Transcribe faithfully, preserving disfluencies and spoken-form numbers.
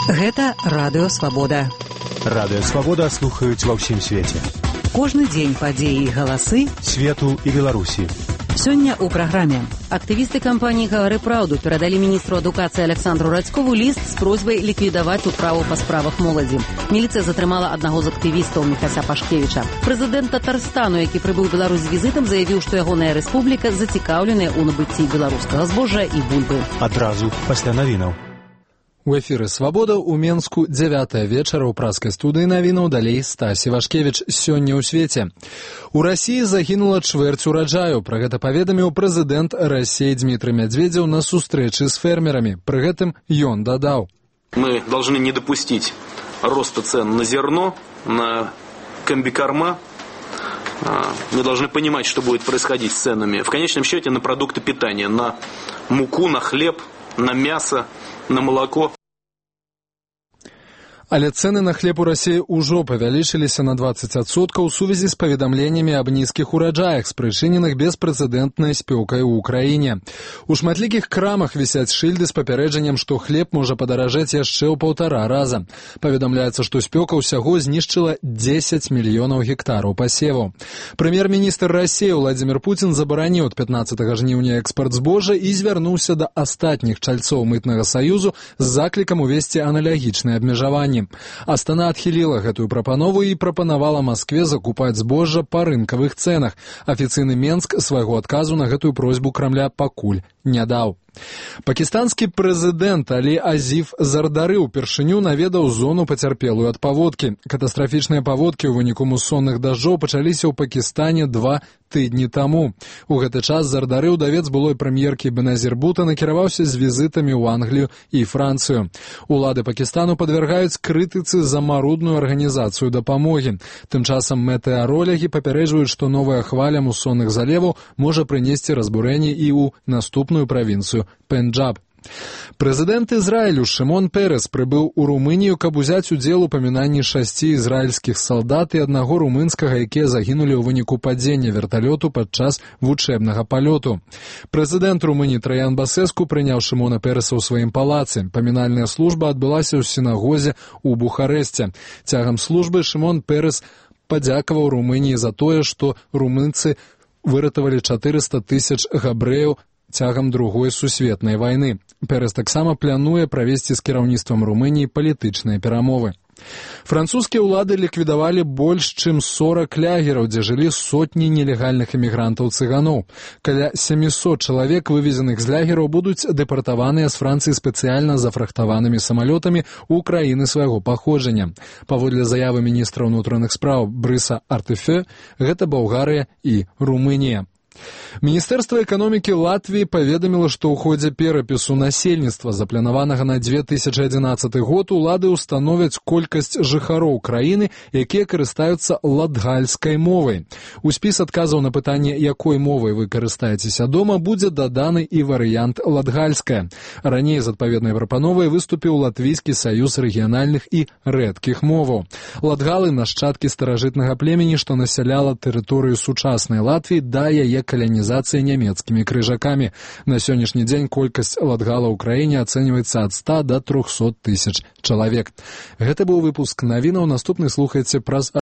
Гэта Радыё Свабода. Радыё Свабода слухаюць ва ўсім свеце. Кожны дзень падзеі і галасы свету і Беларусі. Сёння ў праграме. Актывісты кампаніі «Гавары праўду» перадалі міністру адукацыі Александру Радзькову ліст з просьбай ліквідаваць управу па справах моладзі. Міліцыя затрымала аднаго з актывістаў Міхася Пашкевіча. Прэзідэнт Татарстану, які прыбыў у Беларусь з візітам, заявіў, што ягоная рэспубліка зацікаўленая ў набыцці беларускага збожжа і бульбы. Адразу пасля навінаў. У эфіры «Свабода» ў Менску дзявятая вечара ў праскай студыі навінаў, далей Стась Івашкевіч. Сёння ў свеце. У Расіі загінула чвэрць ураджаю. Пра гэта паведаміў прэзідэнт Расіі Дмітрый Медведзеў на сустрэчы з фермерамі. Пры гэтым ён дадаў: Мы должны не допустить роста цен на зерно, на комбикорма. Мы должны понимать, что будет происходить с ценами. В конечном счете на продукты питания, на муку, на хлеб, на мясо, на молоко. Але цэны на хлеб у Расіі ўжо павялічыліся на дваццаць адсоткаў у сувязі з паведамленнямі аб нізкіх ураджаях, спрычыненых беспрэцэдэнтнай спёкай у ўкраіне. У шматлікіх крамах вісяць шыльды з папярэджаннем, што хлеб можа падаражэць яшчэ ў паўтара раза. Паведамляецца, што спёка ўсяго знішчыла дзесяць мільёнаў гектараў пасеваў. Прэм'ер-міністр Расіі Владзімір Пуцін забараніў ад пятнаццатага жніўня экспарт збожжа і звярнуўся да астатніх чальцоў мытнага саюзу з заклікам увесці аналагічныя абмежаванні. Астана адхіліла гэтую прапанову і прапанавала Маскве закупаць збожжа па рынкавых цэнах. Афіцыйны Менск свайго адказу на гэтую просьбу Крамля пакуль не даў. Пакістанскі прэзідэнт Алі Азіф Зардары ўпершыню наведаў зону пацярпелую ад паводкі. Катастрафічныя паводкі ў выніку мусонных дажджоў пачаліся ў Пакістане два тыдні таму. У гэты час Зардары, удавец былой прэм'еркі Беназір Бута, накіраваўся з візітамі ў Англію і Францыю. Улады Пакістану падвяргаюць крытыцы за марудную арганізацыю дапамогі. Тым часам метэаролагі папярэджваюць, што новая хваля мусонных залеваў можа прынесці разбурэнні і ў наступную правінцыю Пенджаб. Прэзідэнт Ізраілю Шымон Перес прыбыў у Румынію, каб узяць удзел у памінанні шасці ізраільскіх салдат і аднаго румынскага, якія загінулі ў выніку падзення верталёту падчас вучэбнага палёту. Прэзідэнт Румыніі Траян Басэску прыняў Шымона Переса ў сваім палацы. Памінальная служба адбылася ў сінагозе ў Бухарэсце. Цягам службы Шымон Перес падзякаваў Румыніі за тое, што румынцы выратавалі чатырыста тысяч габрэяў цягам другой сусветнай вайны. Перес таксама плануе правесці з кіраўніцтвам Румыніі палітычныя перамовы. Французскія ўлады ліквідавалі больш чым сорак лагераў, дзе жылі сотні нелегальных эмігрантаў-цыганоў. Каля сямісот чалавек, вывезеных з лагераў, будуць дэпартаваныя з Францыі спецыяльна зафрахтаванымі самалётамі ў краіны свайго паходжання. Паводле заявы міністра ўнутраных спраў Брыса Артефе, гэта Балгарыя і Румынія. Міністэрства эканомікі Латвіі паведаміла, што ў ходзе перапісу насельніцтва, запланаванага на две тысячы адзінаццаты год, улады ўстановяць колькасць жыхароў краіны, якія карыстаюцца латгальскай мовай. У спіс адказаў на пытанне, якой мовай вы карыстаецеся дома, будзе даданы і варыянт латгальская. Раней з адпаведнай прапановай выступіў Латвійскі саюз рэгіянальных і рэдкіх моваў. Латгалы — нашчадкі старажытнага племені, што насяляла тэрыторыю сучаснай Латвіі да яе каланізацыі нямецкімі крыжакамі. На сённяшні дзень колькасць латгала ў краіне ацэньваецца ад ста да трохсот тысяч чалавек. Гэта быў выпуск навінаў. Наступны слухайце праз